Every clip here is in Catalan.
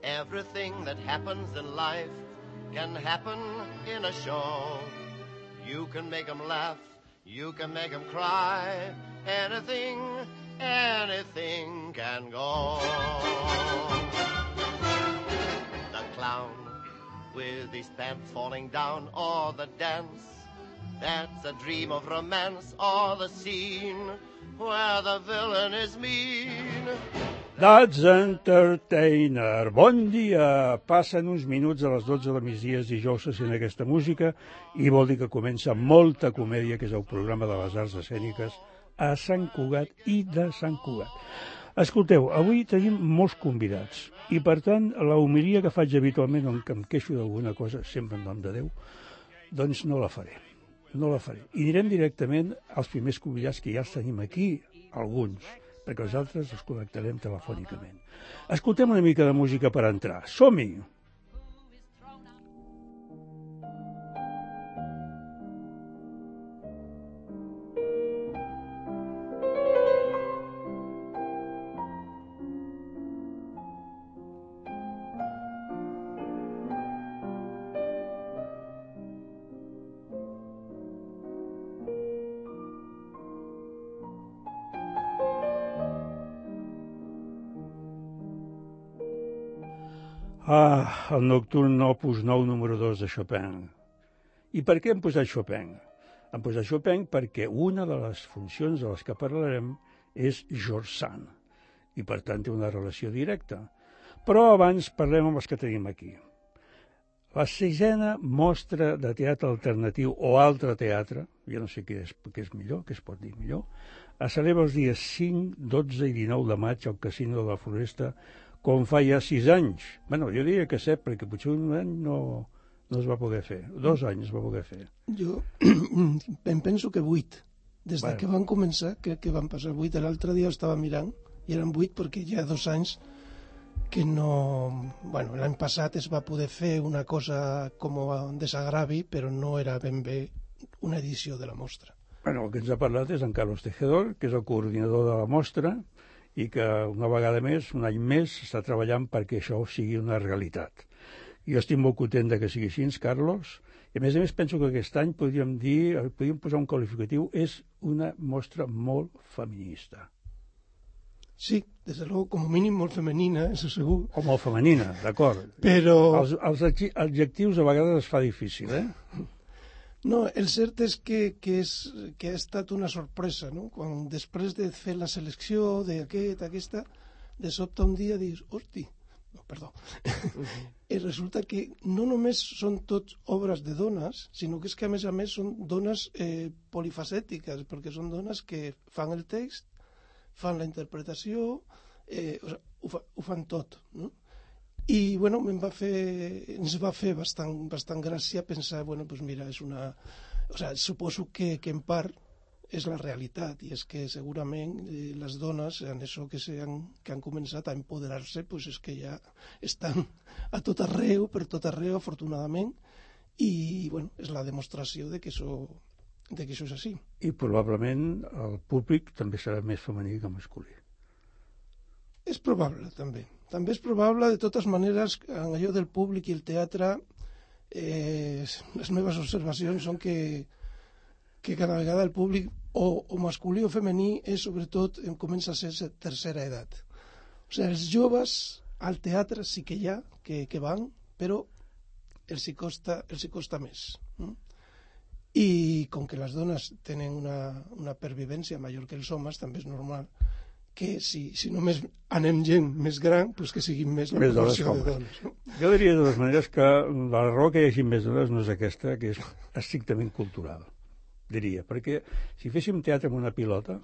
Everything that happens in life can happen in a show. You can make 'em laugh, you can make 'em cry. Anything, anything can go. The clown with his pants falling down, or the dance that's a dream of romance, or the scene where the villain is mean. That's Entertainer. Bon dia! Passen uns minuts a les 12 de migdia dijous se sent aquesta música i vol dir que comença Molta Comèdia, que és el programa de les arts escèniques a Sant Cugat i de Sant Cugat. Escolteu, avui tenim molts convidats i, per tant, la homilia que faig habitualment, on em queixo d'alguna cosa, sempre en nom de Déu, doncs no la faré. No la faré. I anirem directament als primers convidats, que ja els tenim aquí, alguns, perquè els altres els connectarem telefònicament. Escoltem una mica de música per entrar. Som-hi! El nocturn opus 9, número 2 de Chopin. I per què hem posat Chopin? Hem posat Chopin perquè una de les funcions de les que parlarem és George Sand, i per tant té una relació directa. Però abans parlem amb els que tenim aquí. La 6a mostra de teatre alternatiu o altre teatre, jo no sé què és millor, què es pot dir millor, es celebra els dies 5, 12 i 19 de maig al Casino de la Floresta, com fa ja 6 anys. Bueno, jo diria que 7, perquè potser un any no es va poder fer. 2 anys es va poder fer. Jo em penso que 8. Des que van començar, crec que van passar 8. L'altre dia estava mirant i eren 8 perquè hi ha 2 anys que no... Bueno, l'any passat es va poder fer una cosa com un desagravi, però no era ben bé una edició de la mostra. Bueno, el que ens ha parlat és en Carlos Tejedor, que és el coordinador de la mostra, i que una vegada més, un any més, està treballant perquè això sigui una realitat. Jo estic molt content que sigui així, Carlos, i a més penso que aquest any podríem posar un qualificatiu, és una mostra molt feminista. Sí, des de luego, com a mínim molt femenina, això segur. O molt femenina, d'acord. Però... Els adjectius a vegades es fa difícil, No, el cert és que ha estat una sorpresa, no? Quan després de fer la selecció d'aquesta, de sobte un dia dius, hosti, no, perdó, i resulta que no només són tots obres de dones, sinó que és que a més són dones polifacètiques, perquè són dones que fan el text, fan la interpretació, ho fan tot, no? I, bueno, ens va fer bastant gràcia pensar, bueno, doncs mira, és una... O sigui, suposo que en part és la realitat, i és que segurament les dones, en això que han començat a empoderar-se, doncs és que ja estan a tot arreu, per tot arreu, afortunadament, i, bueno, és la demostració de que això és així. I probablement el públic també serà més femení que masculí. És probable, també. També és probable, de totes maneres, en allò del públic i el teatre, les meves observacions són que cada vegada el públic, o masculí o femení, sobretot comença a ser tercera edat. O sigui, els joves al teatre sí que hi ha, que van, però els hi costa més. I com que les dones tenen una pervivència major que els homes, també és normal que si només anem gent més gran, doncs que siguin més la proporció de dones. No? Jo diria de totes maneres que la raó que hi hagi més dones no és aquesta, que és estrictament cultural, diria, perquè si féssim teatre amb una pilota,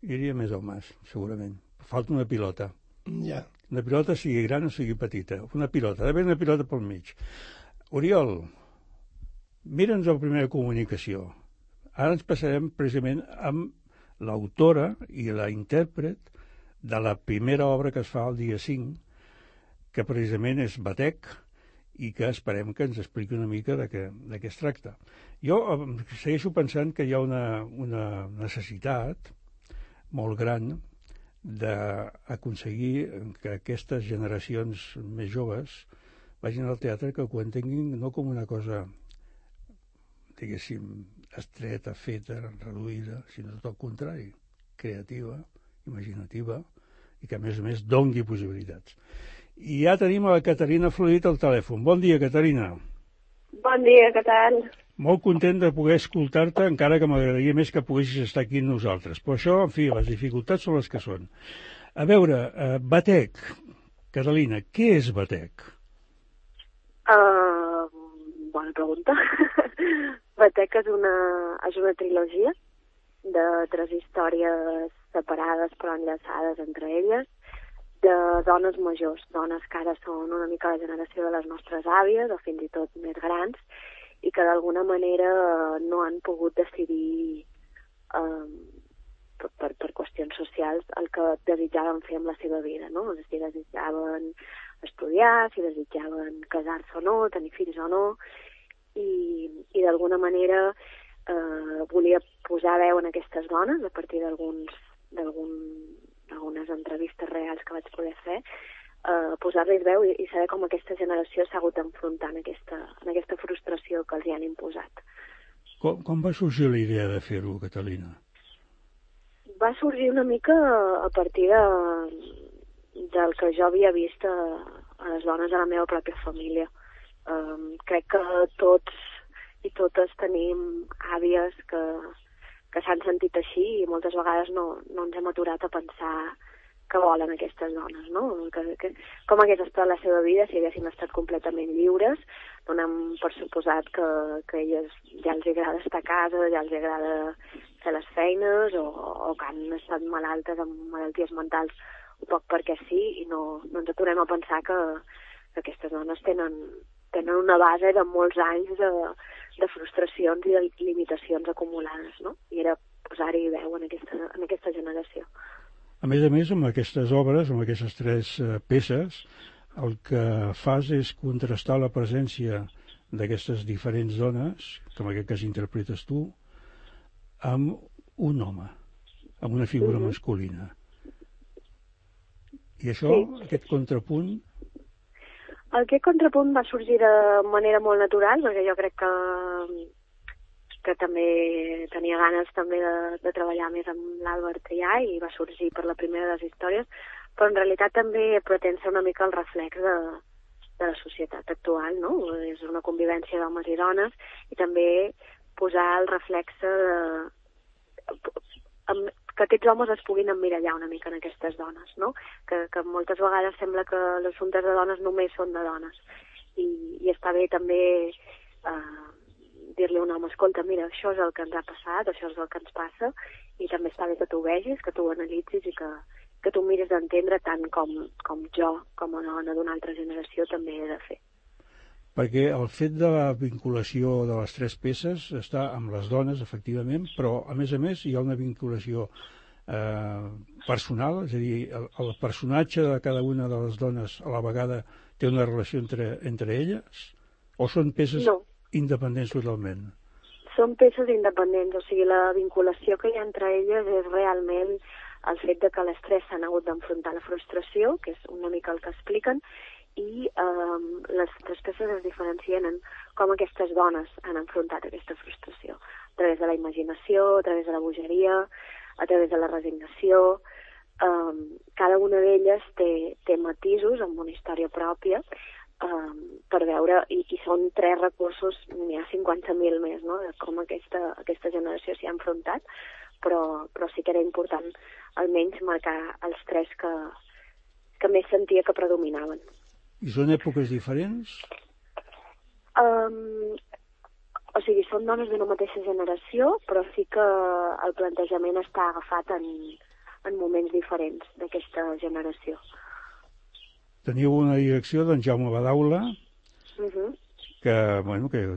hi hauria més homes, segurament. Falta una pilota. Ja. Una pilota sigui gran o sigui petita. Una pilota, ha d'haver una pilota pel mig. Oriol, mira'ns la primera comunicació. Ara ens passarem precisament amb l'autora i la intèrpret de la primera obra que es fa el dia 5, que precisament és Batec, i que esperem que ens expliqui una mica de què es tracta. Jo segueixo pensant que hi ha una necessitat molt gran d'aconseguir que aquestes generacions més joves vagin al teatre, que ho entenguin no com una cosa, diguéssim, estreta, feta, reduïda, sinó tot el contrari, creativa, imaginativa, i que a més dongui possibilitats. I ja tenim a la Caterina Florit al telèfon. Bon dia, Caterina. Bon dia, què tal? Molt content de poder escoltar-te, encara que m'agradaria més que poguessis estar aquí amb nosaltres. Però això, en fi, les dificultats són les que són. A veure, Batec, Catalina, què és Batec? Bona pregunta. Batec és una trilogia de 3 històries separades però enllaçades entre elles, de dones majors, dones que ara són una mica la generació de les nostres àvies o fins i tot més grans, i que d'alguna manera no han pogut decidir per qüestions socials el que desitjaven fer amb la seva vida, no? Si desitjaven estudiar, si desitjaven casar-se o no, tenir fills o no, i d'alguna manera volia posar veu en aquestes dones a partir d'algunes entrevistes reals que vaig poder fer, posar-los veu i saber com aquesta generació s'ha hagut d'enfrontar en aquesta frustració que els hi han imposat. Com va sorgir la idea de fer-ho, Catalina? Va sorgir una mica a partir del que jo havia vist a les dones de la meva pròpia família. Crec que tots i totes tenim àvies que s'han sentit així i moltes vegades no ens hem aturat a pensar què volen aquestes dones, no? Com hagués estat la seva vida si haguessin estat completament lliures. Donem per suposat que a elles ja els agrada estar a casa, ja els agrada fer les feines o que han estat malaltes amb malalties mentals un poc perquè sí, i no ens aturem a pensar que aquestes dones tenen una base de molts anys de frustracions i de limitacions acumulades, no? I era posar-hi veu en aquesta generació. A més, amb aquestes obres, amb aquestes 3 peces, el que fas és contrastar la presència d'aquestes diferents dones, que en aquest cas interpretes tu, amb un home, amb una figura masculina. I això, sí. Aquest contrapunt... Aquest contrapunt va sorgir de manera molt natural, perquè jo crec que també tenia ganes també de treballar més amb l'Àlvar Trià i va sorgir per la primera de les històries, però en realitat també pretén ser una mica el reflex de la societat actual, no? És una convivència d'homes i dones i també posar el reflex que aquests homes es puguin emmirallar una mica en aquestes dones, no? Que moltes vegades sembla que els assumptes de dones només són de dones i està bé també dir-li a un home, escolta, mira, això és el que ens ha passat, això és el que ens passa, i també està bé que tu ho vegis, que tu ho analitzis i que tu miris d'entendre tant com jo, com a dona d'una altra generació, també he de fer. Perquè el fet de la vinculació de les 3 peces està amb les dones, efectivament, però, a més, hi ha una vinculació personal, és a dir, el personatge de cada una de les dones a la vegada té una relació entre elles? O són peces independents totalment? Són peces independents, o sigui, la vinculació que hi ha entre elles és realment el fet de que les 3 s'han hagut d'enfrontar la frustració, que és una mica el que expliquen, i les 3 peces es diferencien en com aquestes dones han enfrontat aquesta frustració, a través de la imaginació, a través de la bogeria, a través de la resignació. Cada una d'elles té matisos amb una història pròpia per veure, i són 3 recursos, n'hi ha 50.000 més, no?, de com aquesta generació s'hi ha enfrontat, però sí que era important almenys marcar els 3 que més sentia que predominaven. I són èpoques diferents? O sigui, són dones d'una mateixa generació, però sí que el plantejament està agafat en moments diferents d'aquesta generació. Teniu una direcció d'en Jaume Badaula, que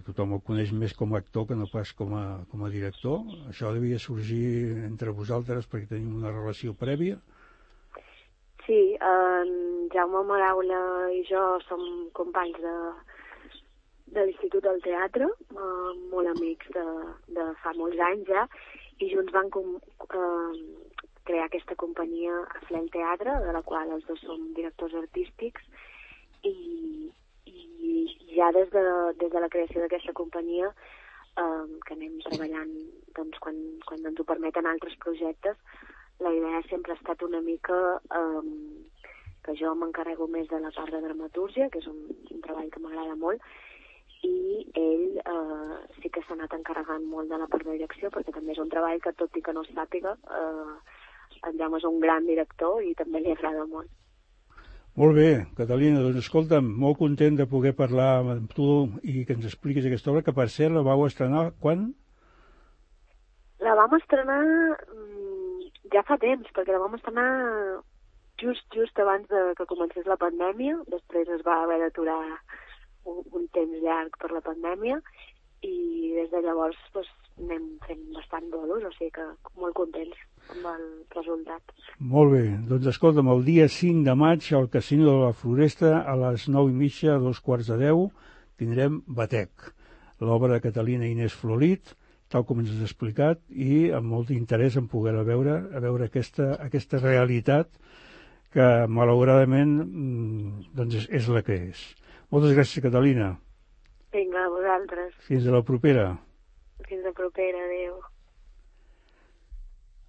tothom el coneix més com a actor que no pas com a director. Això devia sorgir entre vosaltres perquè tenim una relació prèvia? Sí, en Jaume Badaula i jo som companys de l'Institut del Teatre, molt amics de fa molts anys ja, i junts van crear aquesta companyia a Flel Teatre, de la qual els dos som directors artístics, i ja des de la creació d'aquesta companyia, que anem treballant doncs, quan ens ho permeten altres projectes, la idea sempre ha estat una mica que jo m'encarrego més de la part de dramatúrgia, que és un treball que m'agrada molt, i ell sí que s'ha anat encarregant molt de la part de direcció, perquè també és un treball que, tot i que no es sàpiga, en Jaume és un gran director i també li agrada molt. Molt bé, Catalina, doncs escolta'm, molt content de poder parlar amb tu i que ens expliquis aquesta obra, que per cert la vau estrenar quan? La vam estrenar ja fa temps, perquè la vam estrenar just abans que comencés la pandèmia. Després es va haver d'aturar un temps llarg per la pandèmia i des de llavors doncs, anem fent bastant bolos, o sigui que molt contents amb el resultat. Molt bé, doncs escolta'm, el dia 5 de maig al Casino de la Floresta a les 9:30, a 9:45, tindrem Batec, l'obra de Catalina Inés Florit, tal com ens has explicat, i amb molt interès en poder veure aquesta realitat que malauradament doncs és la que és. Moltes gràcies, Catalina. Vinga, a vosaltres. Fins a la propera. Fins a propera, adéu.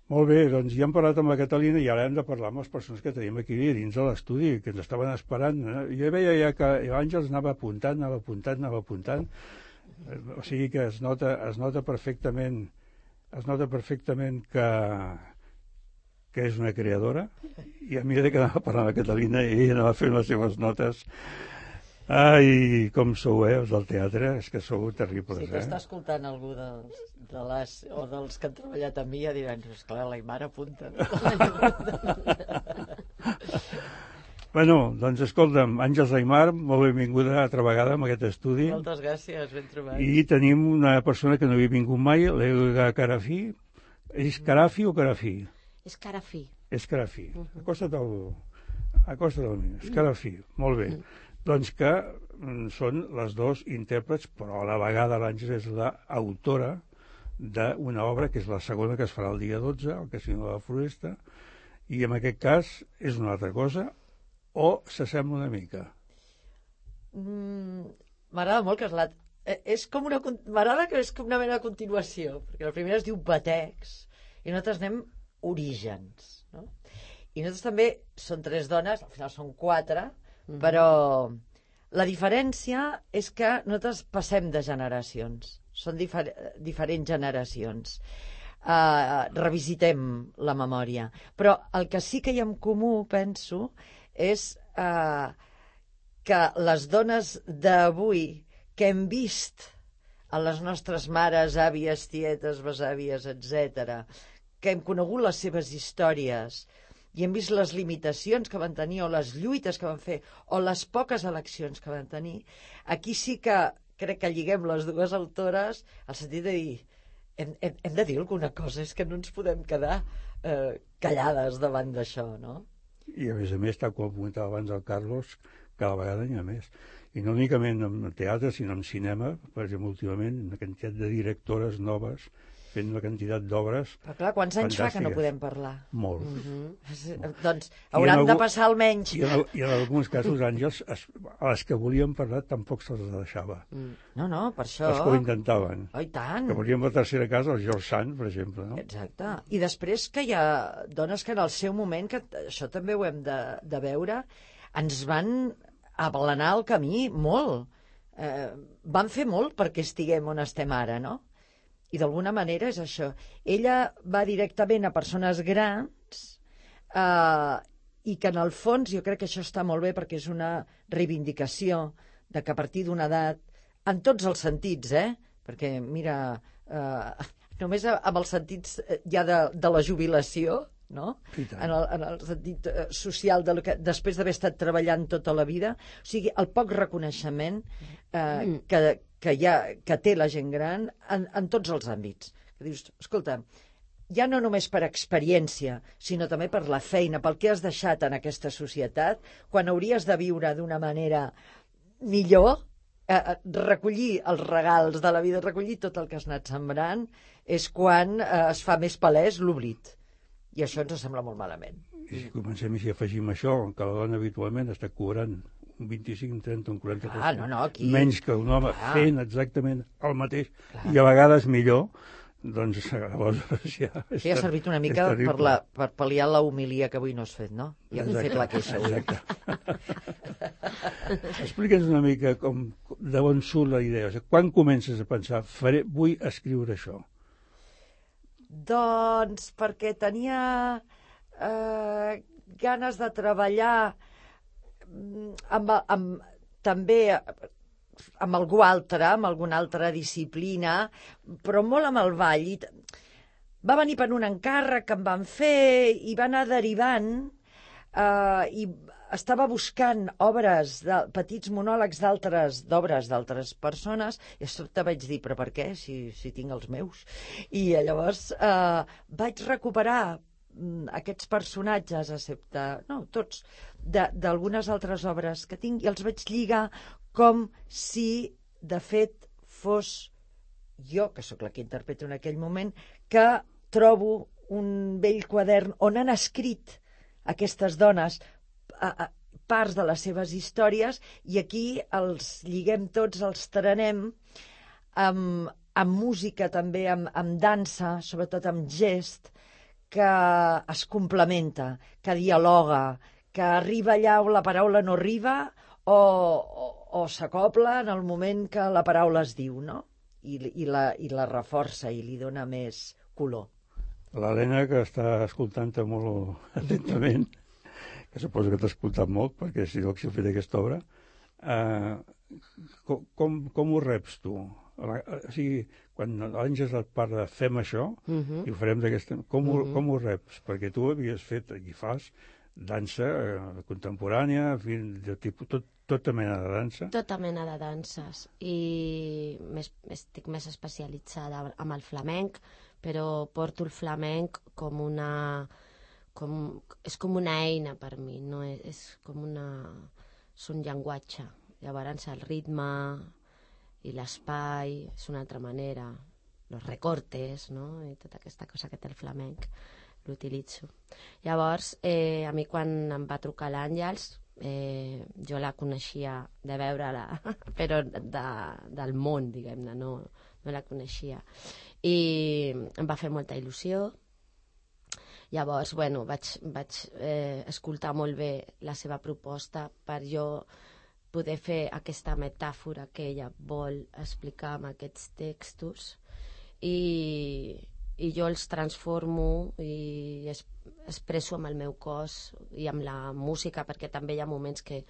Molt bé, doncs ja hem parlat amb la Catalina i ara hem de parlar amb les persones que tenim aquí dins de l'estudi, que ens estaven esperant. Jo veia ja que l'Àngels anava apuntant. O sigui que es nota perfectament que és una creadora, i a mesura que anava parlant la Catalina i ella anava fent les seves notes. Ai, com sou, els del teatre, és que sou terribles, Si t'està escoltant algú dels que han treballat amb mi, ja diran, esclar, l'Aimar apunta. Bueno, doncs escolta'm, Àngels Aimar, molt benvinguda altra vegada en aquest estudi. Moltes gràcies, ben trobat. I tenim una persona que no havia vingut mai, l'Elga Carafí. És Carafi o Carafí? És Carafí. És Carafí. Acosta't al mi. És Carafí, molt bé. Doncs que són les dos intèrprets, però a la vegada l'Àngels és l'autora d'una obra que és la segona que es farà el dia 12, al Casino de la Floresta, i en aquest cas és una altra cosa, o s'assembla una mica? M'agrada molt que m'agrada que és com una mena de continuació, perquè la primera es diu Batecs, i nosaltres anem orígens, no? I nosaltres també són 3 dones, al final són 4, però la diferència és que nosaltres passem de generacions, són diferents generacions, revisitem la memòria, però el que sí que hi ha en comú, penso, és que les dones d'avui que hem vist a les nostres mares, àvies, tietes, besàvies, etc., que hem conegut les seves històries i hem vist les limitacions que van tenir o les lluites que van fer o les poques eleccions que van tenir, aquí sí que crec que lliguem les dues autores al sentit de dir hem de dir alguna cosa, és que no ens podem quedar callades davant d'això, no? I a més, tal com comentava abans el Carlos, cada vegada n'hi ha més. I no únicament en teatre, sinó en cinema, per exemple, últimament, una quantitat de directores noves fent una quantitat d'obres. Però clar, quants anys fa que no podem parlar? Molts. Doncs hauran de passar almenys. I en alguns casos, Àngels, a les que volien parlar tampoc se'ls deixava. No, per això. Els que ho intentaven. Oh, i tant. Que volien la tercera casa, el George Sand, per exemple. No? Exacte. I després que hi ha dones que en el seu moment, que això també ho hem de veure, ens van aplanar el camí molt. Van fer molt perquè estiguem on estem ara, no? I d'alguna manera és això. Ella va directament a persones grans i que en el fons jo crec que això està molt bé perquè és una reivindicació de que a partir d'una edat, en tots els sentits, perquè mira, només amb els sentits ja de la jubilació, no? En el sentit social de que després d'haver estat treballant tota la vida, o sigui, el poc reconeixement que té la gent gran en tots els àmbits. Que dius, escolta, ja no només per experiència, sinó també per la feina, pel que has deixat en aquesta societat, quan hauries de viure d'una manera millor, recollir els regals de la vida, recollir tot el que has anat sembrant, és quan es fa més palès l'oblit. I això ens sembla molt malament. I si comencem i si afegim això, que la dona habitualment està cobrant un 25, un 30, un 40% aquí... menys que un home fent exactament el mateix, i a vegades millor, doncs aleshores ja... Sí, ha servit una mica per pal·liar la humilia que avui no has fet, no? I hem fet la queixa avui. Explica'ns una mica de on surt la idea. O sigui, quan comences a pensar, vull escriure això? Doncs perquè tenia ganes de treballar també amb algú altre, amb alguna altra disciplina, però molt amb el ball. Va venir per un encàrrec que em van fer i va anar derivant i estava buscant petits monòlegs d'obres d'altres persones, i de sobte vaig dir, però per què, si tinc els meus? I llavors vaig recuperar aquests personatges, excepte, no, tots, d'algunes altres obres que tinc, i els vaig lligar com si, de fet, fos jo, que sóc la que interpreto en aquell moment, que trobo un vell quadern on han escrit aquestes dones parts de les seves històries, i aquí els lliguem tots, els trenem amb música també, amb dansa, sobretot amb gest, que es complementa, que dialoga, que arriba allà on la paraula no arriba o s'acopla en el moment que la paraula es diu, no? I la reforça i li dona més color. L'Helena, que està escoltant-te molt atentament, que suposo que t'ha escoltat molt, perquè si no has fet aquesta obra, com ho reps tu? O sigui, quan l'Àngels et parla de fem això, i ho farem d'aquesta... Com ho reps? Perquè tu havies fet, i fas, dansa contemporània, de tipus, tota mena de dansa. Tota mena de danses. I estic més especialitzada amb el flamenc, però porto el flamenc com una... és com una eina per mi, no? És com una... és un llenguatge. Llavors el ritme i l'espai és una altra manera, els recortes, no? I tota aquesta cosa que té el flamenc l'utilitzo. Llavors, a mi quan em va trucar l'Àngels, jo la coneixia de veure-la, però del món, diguem-ne, no la coneixia. I em va fer molta il·lusió. Llavors, bueno, vaig escoltar molt bé la seva proposta per jo poder fer aquesta metàfora que ella vol explicar amb aquests textos, i jo els transformo i expresso amb el meu cos i amb la música, perquè també hi ha moments que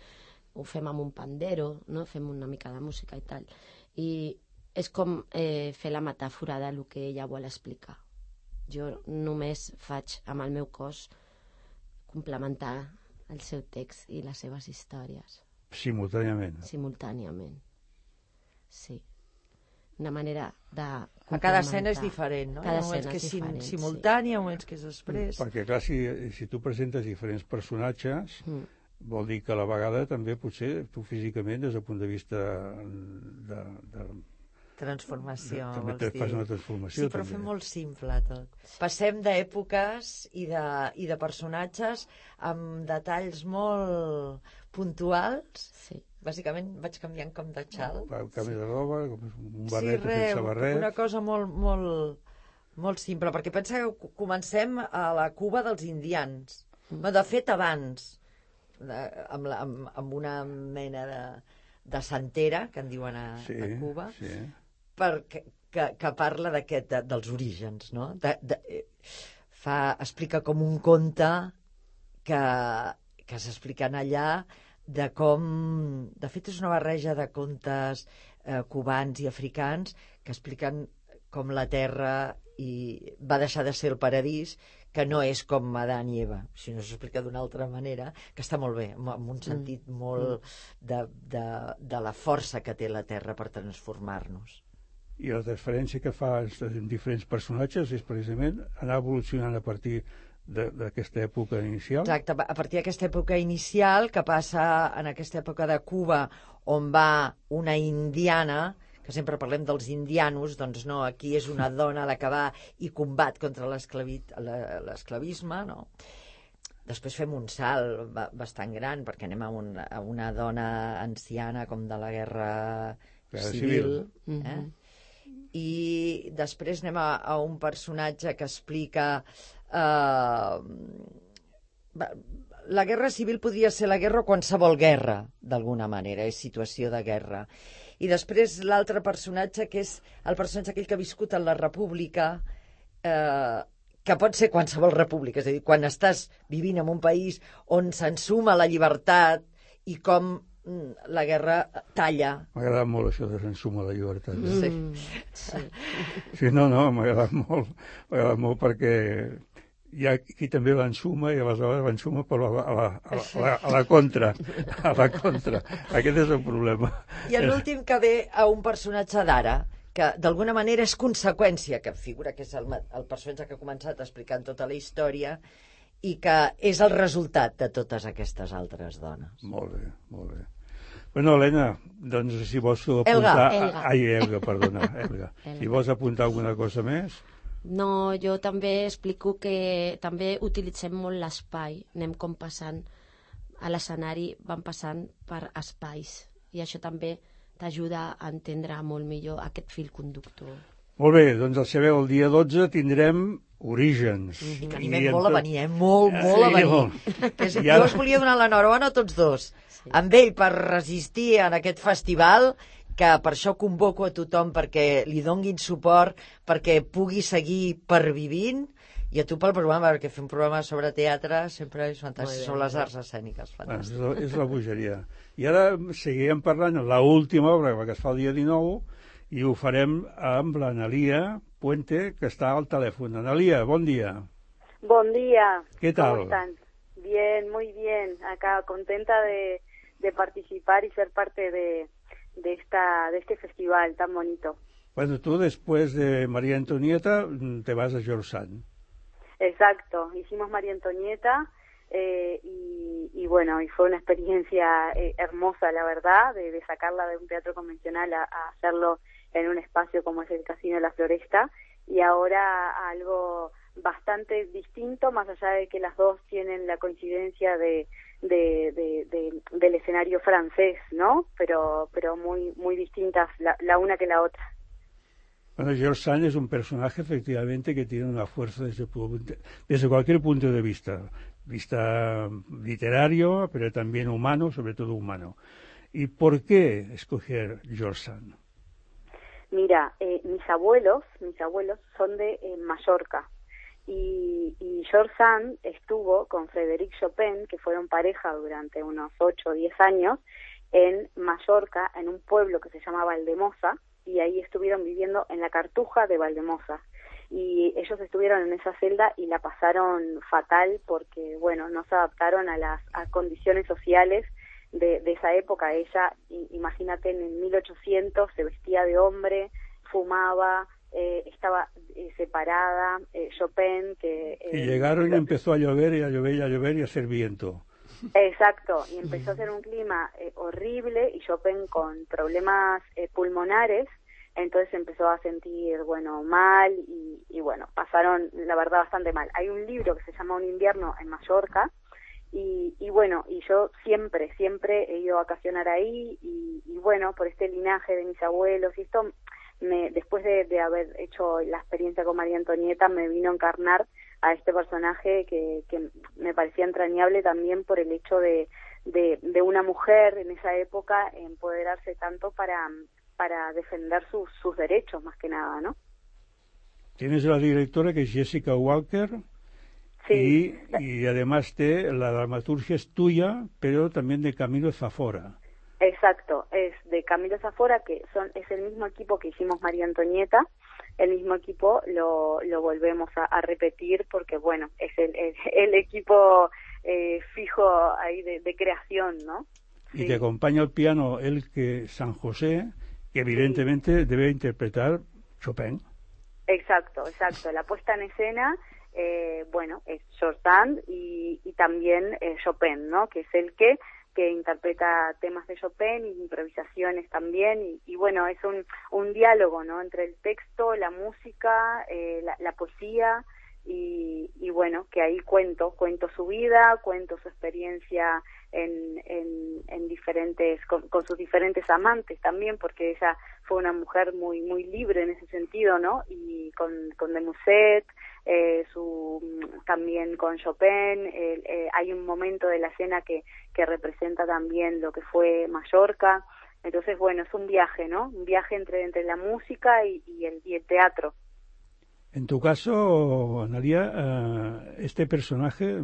ho fem amb un pandero, no? Fem una mica de música i tal, i és com fer la metàfora del que ella vol explicar. Jo només faig amb el meu cos complementar el seu text i les seves històries. Simultàniament. Simultàniament, sí. Una manera de complementar. A cada escena és diferent, no? Cada escena és diferent, simultània, moments que és després. Perquè, clar, si tu presentes diferents personatges, vol dir que a la vegada també potser tu físicament, des del punt de vista de transformació, també te fas una transformació. Sí, però fem molt simple tot. Passem d'èpoques i de personatges amb detalls molt puntuals. Sí. Bàsicament vaig canviant com de xal. Canvi de roba, un barret, sense barret. Una cosa molt simple, perquè pensa que comencem a la Cuba dels indians. De fet, abans, amb una mena de santera, que en diuen a Cuba, que parla dels orígens, no? Explica com un conte que s'expliquen allà, de com... De fet, és una barreja de contes cubans i africans que expliquen com la Terra va deixar de ser el paradís, que no és com Adán i Eva, sinó s'explica d'una altra manera, que està molt bé, amb un sentit molt de la força que té la Terra per transformar-nos. I la transferència que fa en diferents personatges és precisament anar evolucionant a partir d'aquesta època inicial? Exacte, a partir d'aquesta època inicial, que passa en aquesta època de Cuba, on va una indiana, que que sempre parlem dels indianos, doncs no, aquí és una dona la que va i combat contra l'esclavisme, no? Després fem un salt bastant gran, perquè anem a una dona anciana com de la guerra civil. I després anem a un personatge que explica... la guerra civil podria ser la guerra o qualsevol guerra, d'alguna manera, és situació de guerra. I després l'altre personatge, que és el personatge aquell que ha viscut en la república, que pot ser qualsevol república, és a dir, quan estàs vivint en un país on s'ensuma la llibertat i com la guerra talla. M'ha agradat molt això de s'ensuma la llibertat. Sí. Sí, no, m'ha agradat molt perquè hi ha qui també l'ensuma i aleshores l'ensuma però a la contra. Aquest és el problema. I l'últim que ve a un personatge d'ara, que d'alguna manera és conseqüència, que figura que és el personatge que ha començat explicant tota la història i que és el resultat de totes aquestes altres dones. Molt bé. Bueno, Helena, doncs si vols apuntar... Elga, perdona. Si vols apuntar alguna cosa més... No, jo també explico que també utilitzem molt l'espai, anem com passant a l'escenari, van passant per espais i això també t'ajuda a entendre molt millor aquest fil conductor. Molt bé, doncs el dia 12 tindrem Orígens. I que animem molt a venir, molt a venir. Jo us volia donar l'enhorabona a tots dos, amb ell per resistir en aquest festival, que per això convoco a tothom perquè li donguin suport, perquè pugui seguir pervivint, i a tu pel programa, perquè fer un programa sobre teatre sempre és fantàstic, sobre les arts escèniques. És la bogeria. I ara seguirem parlant de l'última obra que es fa el dia 19, i ho farem amb l'Analia Puente, que está al teléfono. Analia, buen día. Buen día. ¿Qué tal? ¿Cómo están? Bien, muy bien. Acá contenta de participar y ser parte de este festival tan bonito. Bueno, tú después de María Antonieta te vas a George. Exacto. Hicimos María Antonieta y bueno, y fue una experiencia hermosa, la verdad, de sacarla de un teatro convencional a hacerlo en un espacio como es el Casino de la Floresta, y ahora algo bastante distinto, más allá de que las dos tienen la coincidencia del escenario francés, ¿no? Pero muy distintas la una que la otra. Bueno, George Sand es un personaje efectivamente que tiene una fuerza desde cualquier punto de vista literario, pero también humano, sobre todo humano. ¿Y por qué escoger George Sand? Mira, mis abuelos son de Mallorca y George Sand estuvo con Frédéric Chopin, que fueron pareja durante unos 8 o 10 años, en Mallorca, en un pueblo que se llama Valdemosa, y ahí estuvieron viviendo en la Cartuja de Valdemosa. Y ellos estuvieron en esa celda y la pasaron fatal porque, bueno, no se adaptaron a las condiciones sociales de esa época. Ella, imagínate, en 1800 se vestía de hombre, fumaba, estaba separada, Chopin que... y llegaron y empezó a llover y a llover y a hacer viento. Exacto, y empezó a hacer un clima horrible y Chopin con problemas pulmonares, entonces empezó a sentir, bueno, mal y bueno, pasaron la verdad bastante mal. Hay un libro que se llama Un invierno en Mallorca y bueno, y yo siempre he ido a vacacionar ahí y bueno, por este linaje de mis abuelos y esto, después de haber hecho la experiencia con María Antonieta, me vino a encarnar a este personaje que me parecía entrañable también por el hecho de una mujer en esa época empoderarse tanto para defender sus derechos, más que nada, ¿no? Tienes la directora, que es Jessica Walker, sí. y además la dramaturgia es tuya, pero también de Camilo Zafora. Exacto, es de Camilo Zafora, que es el mismo equipo que hicimos María Antonieta. El mismo equipo lo volvemos a repetir porque, bueno, es el equipo fijo ahí de creación, ¿no? Y te acompaña al piano San José, que evidentemente debe interpretar Chopin. Exacto. La puesta en escena, bueno, es George Sand y también Chopin, ¿no? Que es el que que interpreta temas de Chopin y improvisaciones también, y bueno, es un diálogo, ¿no?, entre el texto, la música, la poesía, y bueno, que ahí cuento su vida, cuento su experiencia en diferentes, con sus diferentes amantes también, porque ella fue una mujer muy muy libre en ese sentido, ¿no? Y con de Musset, también con Chopin, hay un momento de la escena que representa también lo que fue Mallorca. Entonces, bueno, es un viaje, ¿no? Un viaje entre la música y el teatro. En tu caso, Analia, ¿este personaje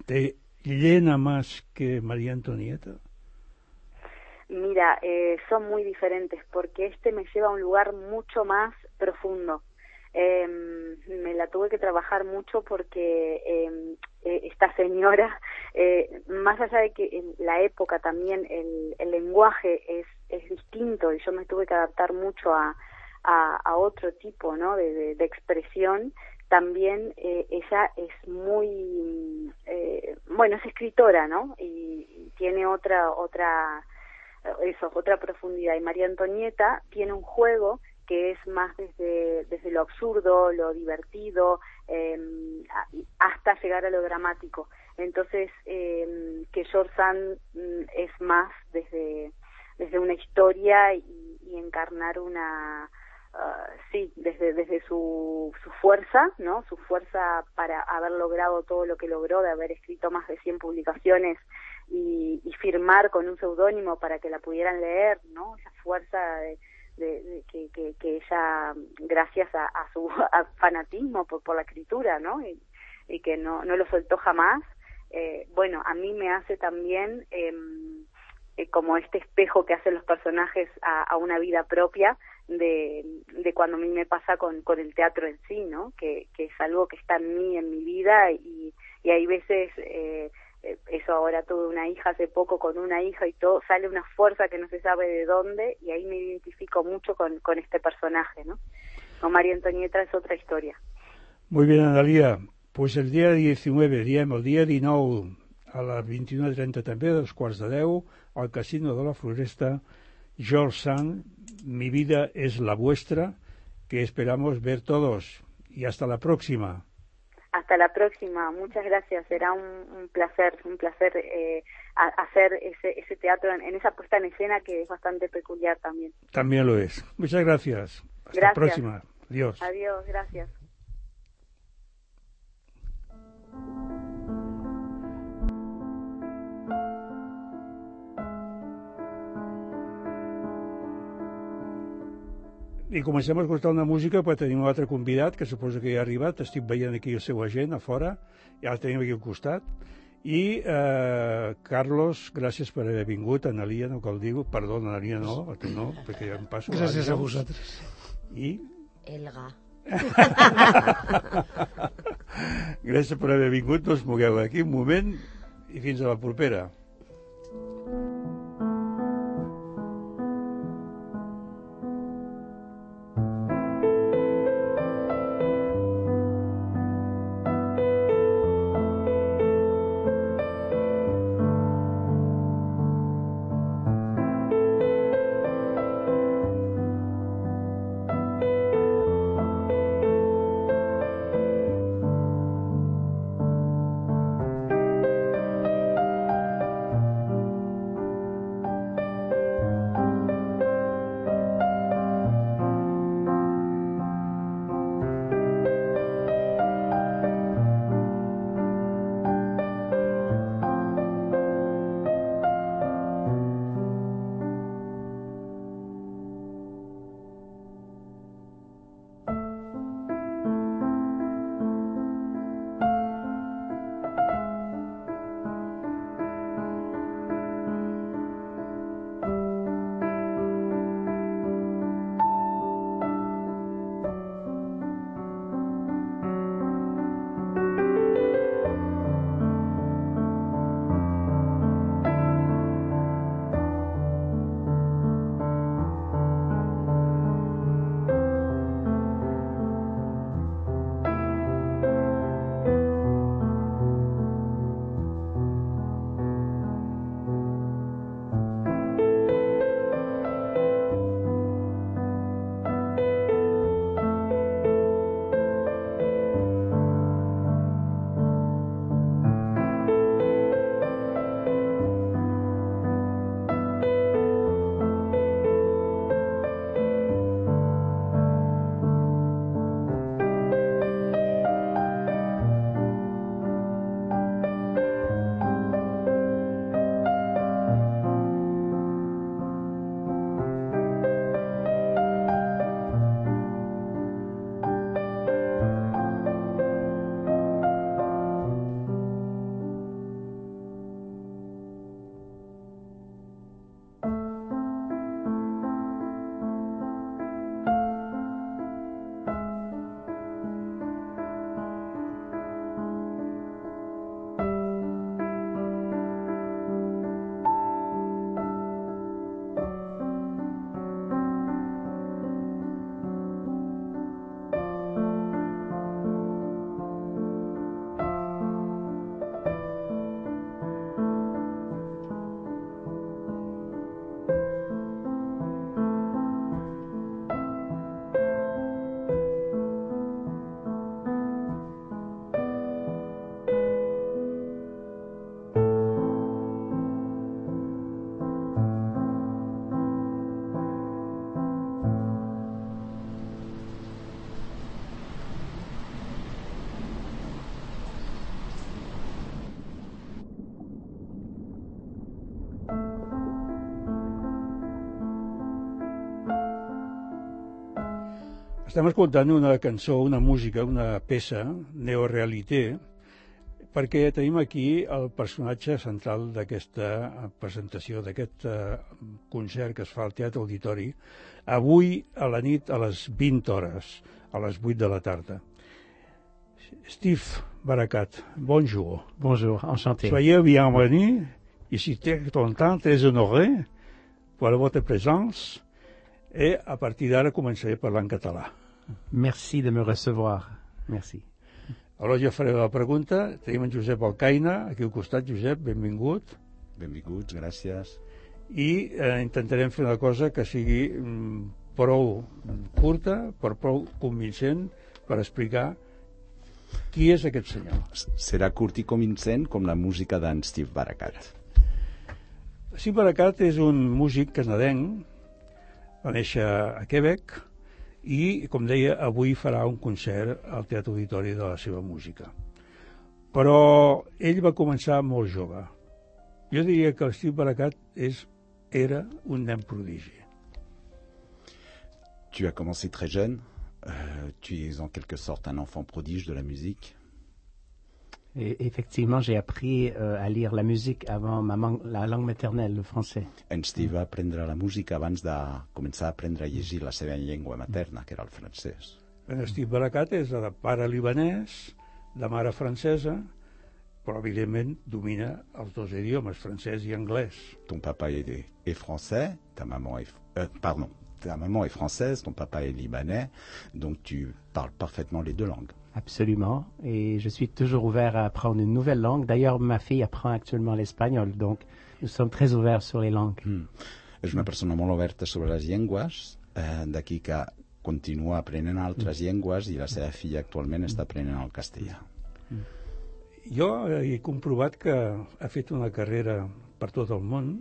te llena más que María Antonieta? Mira, son muy diferentes, porque me lleva a un lugar mucho más profundo. Me la tuve que trabajar mucho porque esta señora, más allá de que en la época también el lenguaje es distinto, y yo me tuve que adaptar mucho a otro tipo, ¿no?, de expresión. También ella es muy, bueno, es escritora, ¿no?, y tiene otra profundidad. Y María Antonieta tiene un juego que es más desde lo absurdo, lo divertido, hasta llegar a lo dramático. Entonces, que George Sand es más desde una historia y encarnar desde su fuerza, ¿no?, su fuerza para haber logrado todo lo que logró, de haber escrito más de 100 publicaciones y firmar con un seudónimo para que la pudieran leer, ¿no?, esa fuerza que ella, gracias a su fanatismo por la escritura, ¿no?, y que no lo soltó jamás. Bueno, a mí me hace también como este espejo que hacen los personajes a una vida propia de cuando a mí me pasa con el teatro en sí, ¿no?, que es algo que está en mí, en mi vida, y hay veces, eso, ahora tuve una hija hace poco, con una hija y todo, sale una fuerza que no se sabe de dónde, y ahí me identifico mucho con este personaje, ¿no? Con María Antonieta es otra historia. Muy bien, Analia. Pues el dia 19, diem el dia 19, a les 21:30 també, a 9:15, al Casino de la Floresta, George Sand, Mi vida es la vuestra, que esperamos ver todos. Y hasta la próxima. Hasta la próxima, muchas gracias. Será un placer hacer ese teatro en esa puesta en escena que es bastante peculiar también. También lo es. Muchas gracias. Hasta la próxima. Adiós. Adiós, gracias. I comencem a escoltar una música, però tenim un altre convidat, que suposo que ja ha arribat. Estic veient aquí el seu agent a fora, ja el tenim aquí al costat. I, Carlos, gràcies per haver vingut. Analia, no cal dir-ho. Perdó, Analia, no, perquè ja em passo. Gràcies a vosaltres. I... Elga. Gràcies per haver vingut. No us mogueu aquí un moment i fins a la propera. Estem escoltant una cançó, una música, una peça, neorealité, perquè tenim aquí el personatge central d'aquesta presentació, d'aquest concert que es fa al Teatre Auditori, avui a la nit a les 20 hores, a les 8 de la tarda. Steve Barakat, bonjour. Bonjour, enchanté. Soyez bienvenue. Je suis très content, très honoré pour votre présence. Et a partir d'ara començaré a parlar en català. Merci de me recevoir. Merci. Aleshores jo faré la pregunta. Tenim en Josep Alcaina, aquí al costat. Josep, benvingut. Benvinguts, gràcies. I intentarem fer una cosa que sigui prou curta, però prou convincent per explicar qui és aquest senyor. Serà curt i convincent com la música d'en Steve Barakat. Steve Barakat és un músic canadenc, va néixer a Quebec i, com deia, avui farà un concert al Teatre Auditori de la seva música. Però ell va començar molt jove. Jo diria que el Steve Barakat era un nen prodigi. Tu as commencé très jeune. Tu es en quelque sorte un enfant prodige de la musique. Et effectivement, j'ai appris à lire la musique avant la langue maternelle, le français. En Steve va aprendre la música abans de començar a aprendre a llegir la seva llengua materna, que era el francès. En Steve Barakat és de pare libanès, de mare francesa, però evidentment domina els dos idiomes, francès i anglès. Ton papa est français, ta maman est française, ton papa est libanais, donc tu parles parfaitement les deux langues. Absolument. Et je suis toujours ouvert à apprendre une nouvelle langue. D'ailleurs, ma fille apprend actuellement l'espagnol, donc nous sommes très ouverts sur les langues. És una persona molt oberta sobre les llengües, d'aquí que continua aprenent altres llengües i la seva filla actualment està aprenent el castellà. Jo he comprovat que ha fet una carrera per tot el món,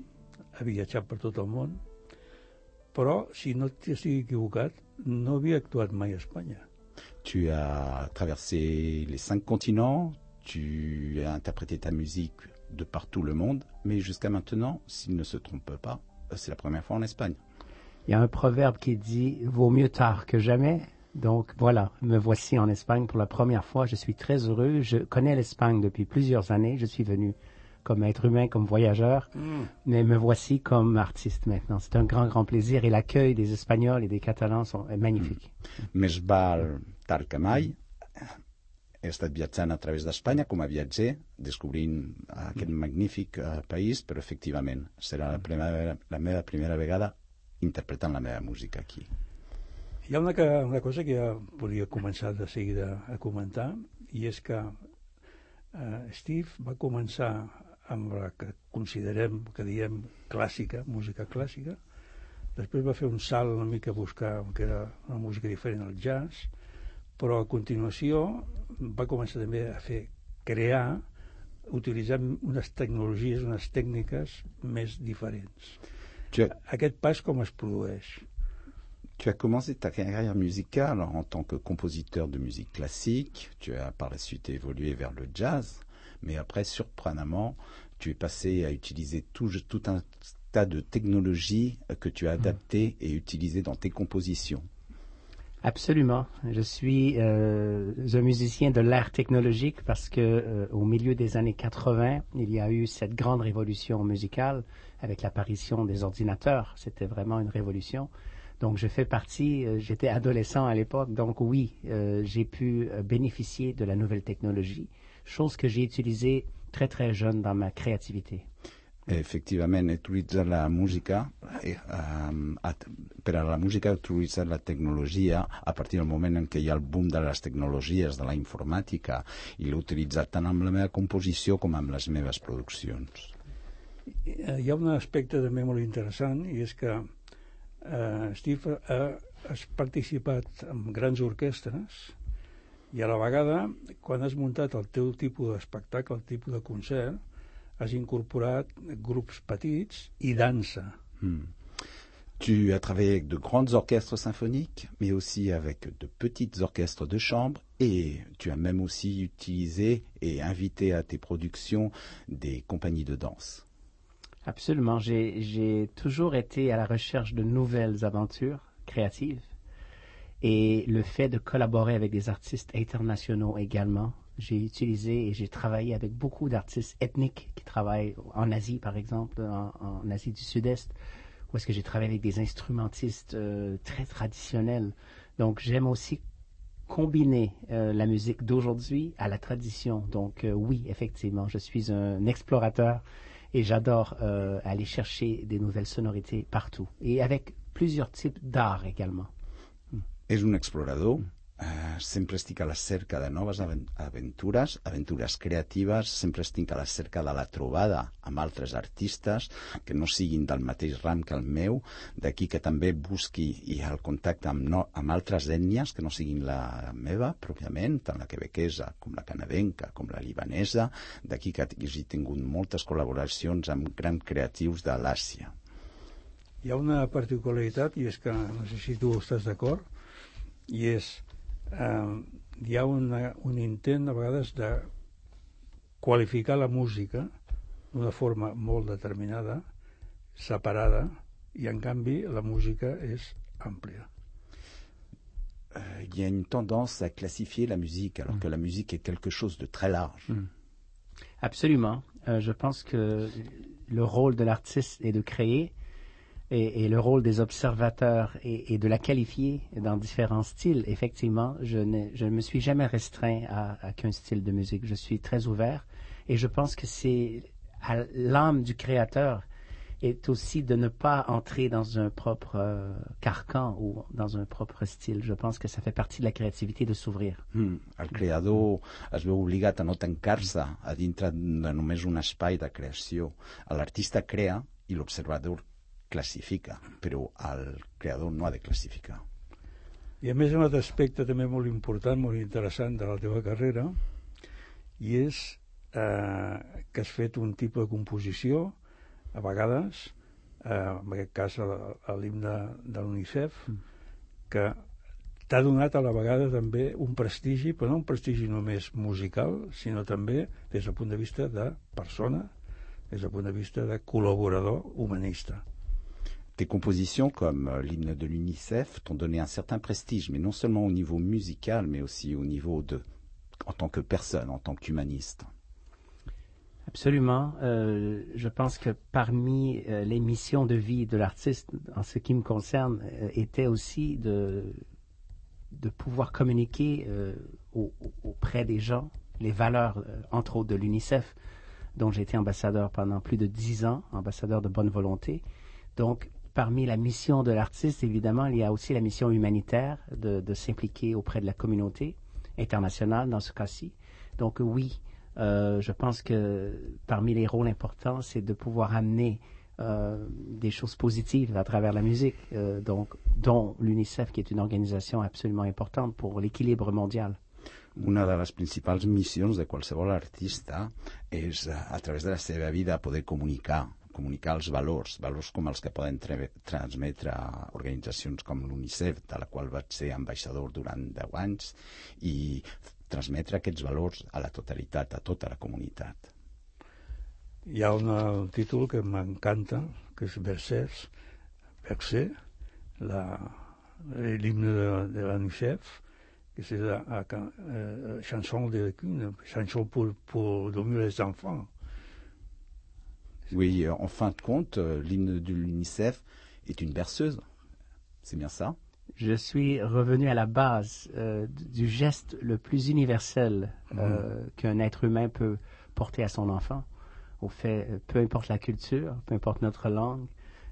ha viatjat per tot el món, però, si no estic equivocat, no havia actuat mai a Espanya. Tu as traversé les 5 continents, tu as interprété ta musique de partout le monde, mais jusqu'à maintenant, s'il ne se trompe pas, c'est la première fois en Espagne. Il y a un proverbe qui dit « vaut mieux tard que jamais ». Donc voilà, me voici en Espagne pour la première fois. Je suis très heureux. Je connais l'Espagne depuis plusieurs années. Je suis venu comme être humain, comme voyageur, mais me voici comme artiste maintenant. C'est un grand, grand plaisir et l'accueil des Espagnols et des Catalans est magnifique. Més val tard que mai. He estat viatjant a través d'Espanya com a viatger, descobrint aquest magnífic país, però efectivament serà la meva primera vegada interpretant la meva música aquí. Hi ha una cosa que ja volia començar de seguida a comentar, i és que Steve va començar amb la que considerem, que diem clàssica, música clàssica, després va fer un salt una mica a buscar que era una música diferent al jazz, però a continuació va començar també a crear, utilitzant unes tecnologies, unes tècniques més diferents. Aquest pas com es produeix? Tu as commencé ta carrière musicale en tant que compositeur de musique classique, tu as par la suite évolué vers le jazz, mais après, surprenamment, tu es passé à utiliser tout un tas de technologies que tu as adaptées et utilisées dans tes compositions. Absolument. Je suis un musicien de l'ère technologique parce que au milieu des années 80, il y a eu cette grande révolution musicale avec l'apparition des ordinateurs. C'était vraiment une révolution. Donc je fais partie, j'étais adolescent à l'époque, donc oui, j'ai pu bénéficier de la nouvelle technologie, chose que j'ai utilisée très très jeune dans ma créativité. Effectivament, utilitzar la música, per a la música utilitzar la tecnologia a partir del moment en què hi ha el boom de les tecnologies, de la informàtica, i l'he utilitzat tant amb la meva composició com amb les meves produccions. Hi ha un aspecte també molt interessant, i és que Steve has participat en grans orquestres i a la vegada, quan has muntat el teu tipus d'espectacle, el tipus de concert, has incorporat grups petits i dansa. Tu as travaillé avec de grands orchestres symphoniques, mais aussi avec de petits orchestres de chambre, et tu as même aussi utilisé et invité à tes productions des compagnies de danse. Absolument. J'ai toujours été à la recherche de nouvelles aventures créatives. et le fait de collaborer avec des artistes internationaux également. J'ai utilisé et j'ai travaillé avec beaucoup d'artistes ethniques qui travaillent en Asie, par exemple, en Asie du Sud-Est, où est-ce que j'ai travaillé avec des instrumentistes très traditionnels. Donc, j'aime aussi combiner la musique d'aujourd'hui à la tradition. Donc, oui, effectivement, je suis un explorateur et j'adore aller chercher des nouvelles sonorités partout. Et avec plusieurs types d'art également. És un explorador. Sempre estic a la cerca de noves aventures creatives, sempre estic a la cerca de la trobada amb altres artistes que no siguin del mateix ram que el meu, d'aquí que també busqui el contacte amb altres ètnies que no siguin la meva pròpiament, tant la quebequesa com la canadenca, com la libanesa, d'aquí que hagi tingut moltes col·laboracions amb grans creatius de l'Àsia. Hi ha una particularitat, i és que no sé si tu estàs d'acord, i és hi ha un intent a vegades de qualificar la música d'una forma molt determinada, separada, i en canvi la música és àmplia. Il y a une tendance à classifier la musique alors que la musique est quelque chose de très large. Absolument. Je pense que le rôle de l'artiste est de créer et le rôle des observateurs est de la qualifier dans différents styles. Effectivement, je ne me suis jamais restreint à qu'un style de musique. Je suis très ouvert et je pense que c'est à l'âme du créateur est aussi de ne pas entrer dans un propre carcan ou dans un propre style. Je pense que ça fait partie de la créativité de s'ouvrir. El creador es veu obligat a no tancar-se a dintre de només un espai de creació. L'artista crea i l'observador classifica, però el creador no ha de classificar. I a més un altre aspecte també molt important, molt interessant de la teva carrera, i és que has fet un tipus de composició, a vegades, en aquest cas l'himne de l'UNICEF, que t'ha donat a la vegada també un prestigi, però no un prestigi només musical, sinó també des del punt de vista de persona, des del punt de vista de col·laborador humanista. Tes compositions, comme l'hymne de l'UNICEF, t'ont donné un certain prestige, mais non seulement au niveau musical, mais aussi au niveau en tant que personne, en tant qu'humaniste. Absolument. Je pense que parmi les missions de vie de l'artiste, en ce qui me concerne, était aussi de pouvoir communiquer auprès des gens les valeurs, entre autres de l'UNICEF, dont j'ai été ambassadeur pendant plus de 10 ans, ambassadeur de bonne volonté. Donc, parmi la mission de l'artiste, évidemment, il y a aussi la mission humanitaire de s'impliquer auprès de la communauté internationale dans ce cas-ci. Donc oui, je pense que parmi les rôles importants, c'est de pouvoir amener des choses positives à travers la musique, dont l'UNICEF, qui est une organisation absolument importante pour l'équilibre mondial. Una de les principals missions de qualsevol artista és, a través de la seva vida, poder comunicar els valors com els que poden transmetre a organitzacions com l'UNICEF, de la qual vaig ser ambaixador durant 10 anys, i transmetre aquests valors a la totalitat, a tota la comunitat. Hi ha un títol que m'encanta, que és Bercer, l'himne de l'UNICEF, que c'est la chanson de Kuhn, chanson pour dormir les enfants. Oui, en fin de compte, l'hymne de l'UNICEF est une berceuse. C'est bien ça? Je suis revenu à la base du geste le plus universel qu'un être humain peut porter à son enfant. Au fait, peu importe la culture, peu importe notre langue,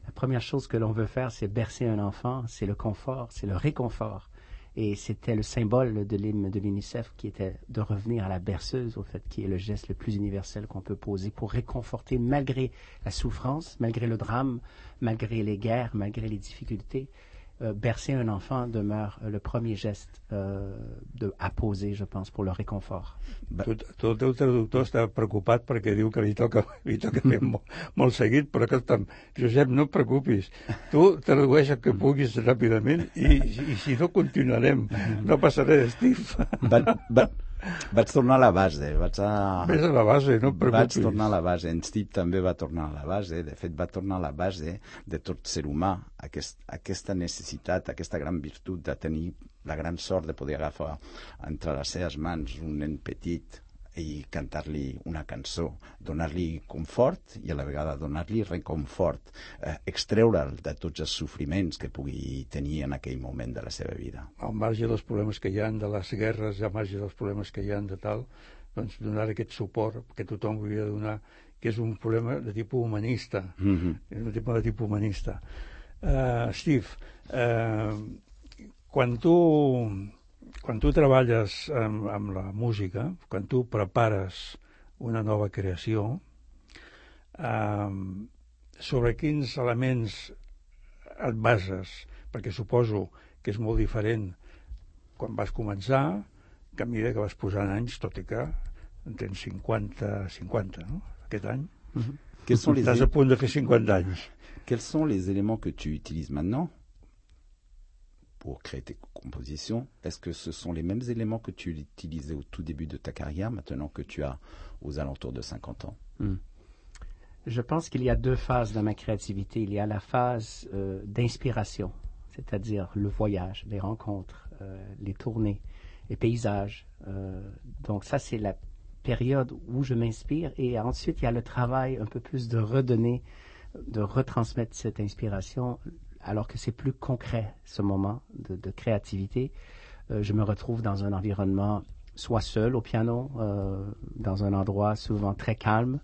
la première chose que l'on veut faire, c'est bercer un enfant, c'est le confort, c'est le réconfort. Et c'était le symbole de l'hymne de l'UNICEF qui était de revenir à la berceuse, au fait, qui est le geste le plus universel qu'on peut poser pour réconforter malgré la souffrance, malgré le drame, malgré les guerres, malgré les difficultés. Bercer un enfant demeure le premier geste à poser, je pense, pour le réconfort. Tu el teu traductor està preocupat perquè diu que li toca fer molt seguit, però escolta'm, Josep, no et preocupis. Tu tradueix el que puguis ràpidament i si no continuarem, no passaré d'Steve. Vaig tornar a la base. Ves a la base, no et preocupis. Vaig tornar a la base. En Steve també va tornar a la base. De fet, va tornar a la base de tot ser humà. Aquesta necessitat, aquesta gran virtut de tenir la gran sort de poder agafar entre les seves mans un nen petit i cantar-li una cançó, donar-li confort i a la vegada donar-li reconfort, extreure'l de tots els sofriments que pugui tenir en aquell moment de la seva vida. Al marge dels problemes que hi ha, de les guerres, al marge dels problemes que hi ha de tal, doncs donar aquest suport que tothom hauria de donar, que és un problema de tipus humanista. És un tipus de tipus humanista. Steve, quan tu treballes amb la música, quan tu prepares una nova creació, sobre quins elements et bases? Perquè suposo que és molt diferent quan vas començar que a mesura que vas posant anys, tot i que en tens 50, no? Aquest any. Estàs a punt de fer 50 anys. Quels sont les éléments que tu utilises maintenant pour créer tes compositions? Est-ce que ce sont les mêmes éléments que tu utilisais au tout début de ta carrière, maintenant que tu as aux alentours de 50 ans? Je pense qu'il y a deux phases dans ma créativité. Il y a la phase d'inspiration, c'est-à-dire le voyage, les rencontres, les tournées, les paysages. Donc ça, c'est la période où je m'inspire. Et ensuite, il y a le travail un peu plus de redonner, de retransmettre cette inspiration, alors que c'est plus concret, ce moment de créativité. Je me retrouve dans un environnement, soit seul au piano, dans un endroit souvent très calme.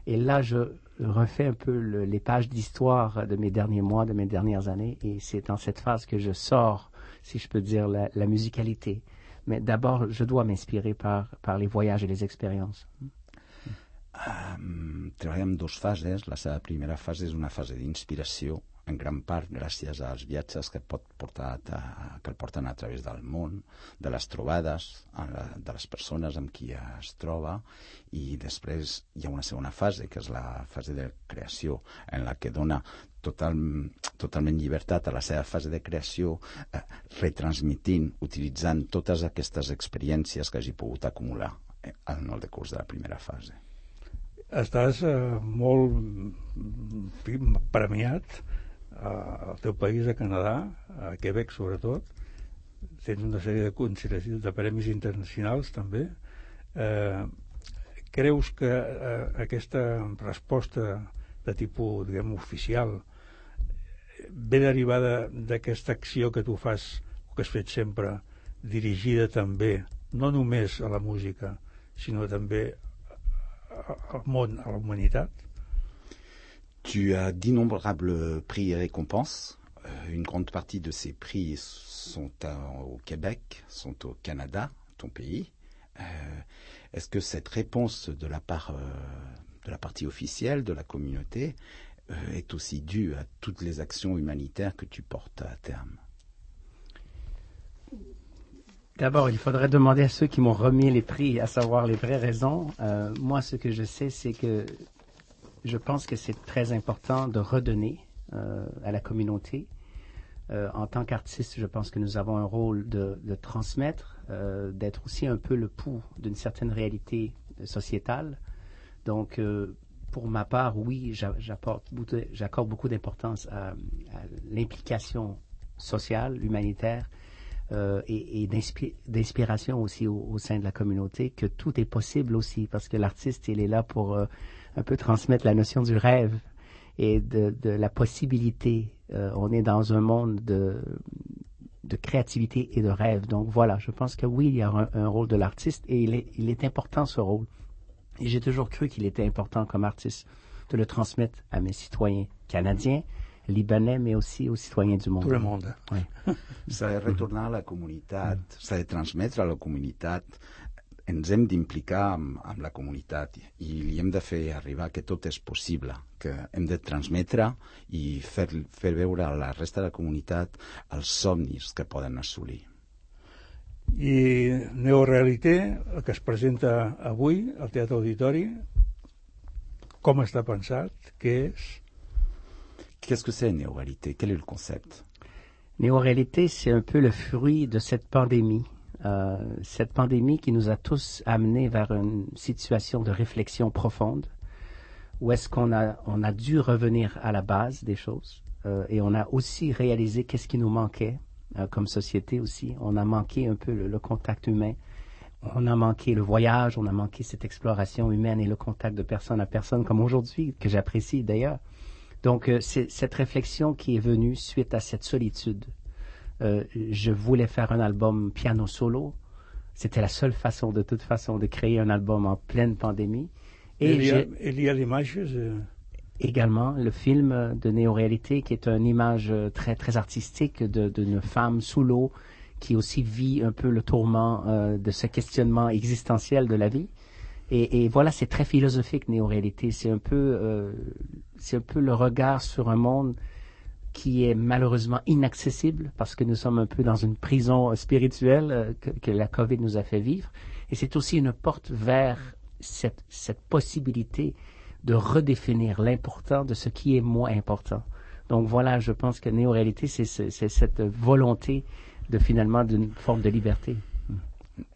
Et là, je refais un peu les pages d'histoire de mes derniers mois, de mes dernières années. Et c'est dans cette phase que je sors, si je peux dire, la musicalité. Mais d'abord, je dois m'inspirer par les voyages et les expériences. Treballem en dues fases. La seva primera fase és una fase d'inspiració, en gran part gràcies als viatges que el porten a través del món, de les trobades, de les persones amb qui es troba, i després hi ha una segona fase, que és la fase de creació, en la que dona totalment llibertat a la seva fase de creació, retransmitint, utilitzant totes aquestes experiències que hagi pogut acumular en el decurs de la primera fase. Estàs molt premiat al teu país, a Canadà, a Quebec sobretot. Tens una sèrie de premis internacionals també. Creus que aquesta resposta de tipus, diguem, oficial ve derivada d'aquesta acció que tu fas, o que has fet sempre, dirigida també, no només a la música, sinó també al món, a la humanitat? Tu as d'innombrables prix et récompenses. Une grande partie de ces prix sont au Québec, sont au Canada, ton pays. Est-ce que cette réponse de la part de la partie officielle de la communauté est aussi due à toutes les actions humanitaires que tu portes à terme? D'abord, il faudrait demander à ceux qui m'ont remis les prix, à savoir les vraies raisons. Moi, ce que je sais, c'est que je pense que c'est très important de redonner à la communauté. En tant qu'artiste, je pense que nous avons un rôle de transmettre, d'être aussi un peu le pouls d'une certaine réalité sociétale. Donc, pour ma part, oui, j'accorde beaucoup d'importance à l'implication sociale, humanitaire, et d'inspiration aussi au sein de la communauté, que tout est possible aussi, parce que l'artiste, il est là pour un peu transmettre la notion du rêve et de la possibilité. On est dans un monde de créativité et de rêve. Donc voilà, je pense que oui, il y a un rôle de l'artiste, et il est important, ce rôle. Et j'ai toujours cru qu'il était important comme artiste de le transmettre à mes citoyens canadiens, libanais, mais aussi aux citoyens du monde. Tout le monde. Oui. S'ha de retornar a la comunitat, s'ha de transmetre a la comunitat. Ens hem d'implicar amb la comunitat i li hem de fer arribar que tot és possible, que hem de transmetre i fer veure a la resta de la comunitat els somnis que poden assolir. I Neorealité, el que es presenta avui al Teatre Auditori, com està pensat? Què és? Qu'est-ce que c'est Néo-Réalité? Quel est le concept? Néo-Réalité, c'est un peu le fruit de cette pandémie cette pandémie qui nous a tous amenés vers une situation de réflexion profonde, où est-ce qu'on a dû revenir à la base des choses, et on a aussi réalisé qu'est-ce qui nous manquait comme société aussi. On a manqué un peu le contact humain, on a manqué le voyage, on a manqué cette exploration humaine et le contact de personne à personne, comme aujourd'hui, que j'apprécie d'ailleurs. Donc, c'est cette réflexion qui est venue suite à cette solitude. Je voulais faire un album piano solo. C'était la seule façon, de toute façon, de créer un album en pleine pandémie. Et il y a l'image également le film de néo-réalité, qui est une image très, très artistique d'une femme sous l'eau qui aussi vit un peu le tourment de ce questionnement existentiel de la vie. Et voilà, c'est très philosophique, néo-réalité. C'est un peu le regard sur un monde qui est malheureusement inaccessible parce que nous sommes un peu dans une prison spirituelle que la COVID nous a fait vivre. Et c'est aussi une porte vers cette possibilité de redéfinir l'important de ce qui est moins important. Donc voilà, je pense que néo-réalité, c'est cette volonté finalement d'une forme de liberté.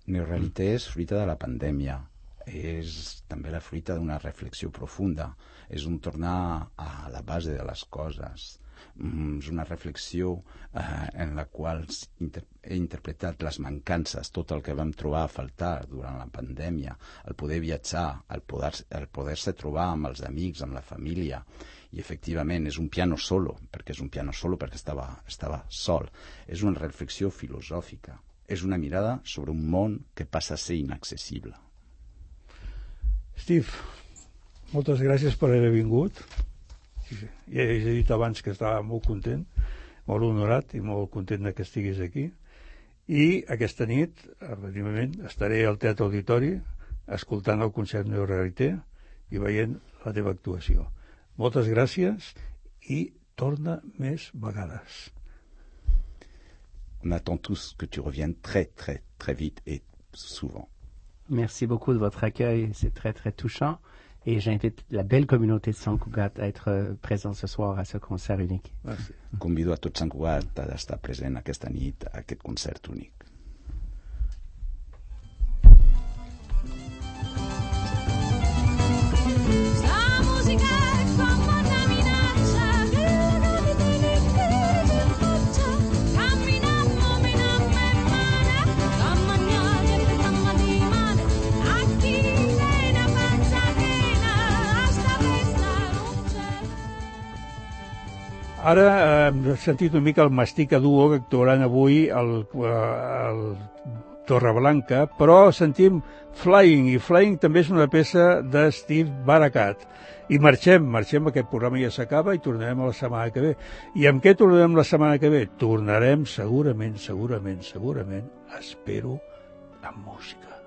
Néo-réalité és fruita de la pandèmia, és també la fruita d'una reflexió profunda, és un tornar a la base de les coses, és una reflexió en la qual he interpretat les mancances, tot el que vam trobar a faltar durant la pandèmia, el poder viatjar, el poder-se trobar amb els amics, amb la família. I efectivament és un piano solo perquè estava sol. És una reflexió filosòfica, és una mirada sobre un món que passa a ser inaccessible. Steve, moltes gràcies per haver vingut. Ja he dit abans que estava molt content, molt honorat i molt content que estiguis aquí. I aquesta nit, efectivament, estaré al Teatre Auditori escoltant el concert Néo-réalité i veient la teva actuació. Moltes gràcies i torna més vegades. On attend tous que tu reviennes très, très, très vite et souvent. Merci beaucoup de votre accueil, c'est très, très touchant. Et j'invite la belle communauté de Sant Cugat à être présent ce soir à ce concert unique. Merci. Convido a tot Sant Cugat a estar present aquesta nit a aquest concert únic. Ara hem sentit una mica el Mastica Duo que actuaran avui al Torreblanca, però sentim Flying, i Flying també és una peça de Steve Barakat. I marxem, aquest programa ja s'acaba i tornarem la setmana que ve. I amb què tornarem la setmana que ve? Tornarem segurament, espero, amb música.